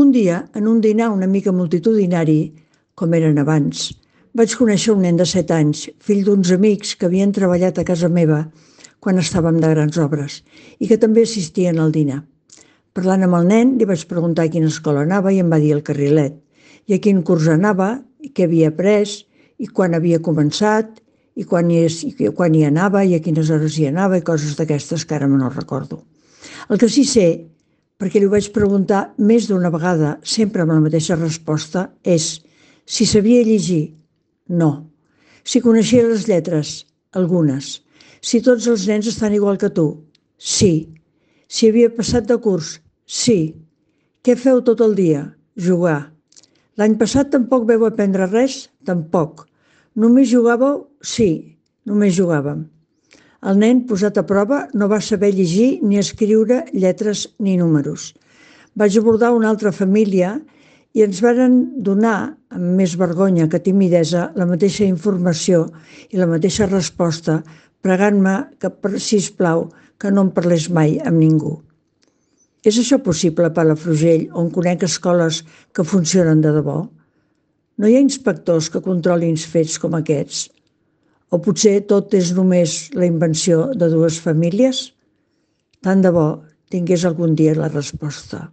Un dia, en un dinar una mica multitudinari, com eren abans, vaig conèixer un nen de 7 anys, fill d'uns amics que havien treballat a casa meva quan estàvem de grans obres i que també assistien al dinar. Parlant amb el nen, li vaig preguntar a quina escola anava i em va dir el Carrilet, i a quin curs anava, i què havia après, i quan havia començat, i quan hi anava, i a quines hores hi anava, i coses d'aquestes que ara me no recordo. El que sí sé, perquè li ho vaig preguntar més d'una vegada, sempre amb la mateixa resposta, és si sabia llegir. No. Si coneixia les lletres, algunes. Si tots els nens estan igual que tu, sí. Si havia passat de curs, sí. Què feu tot el dia? Jugar. L'any passat tampoc vau aprendre res? Tampoc. Només jugàveu? Sí, només jugàvem. El nen, posat a prova, no va saber llegir ni escriure lletres ni números. Vaig abordar una altra família i ens varen donar, amb més vergonya que timidesa, la mateixa informació i la mateixa resposta, pregant-me que, sisplau, que no en parlés mai amb ningú. És això possible a Palafrugell, on conec escoles que funcionen de debò? No hi ha inspectors que controlin fets com aquests? O potser tot és només la invenció de dues famílies? Tant de bo tingués algun dia la resposta.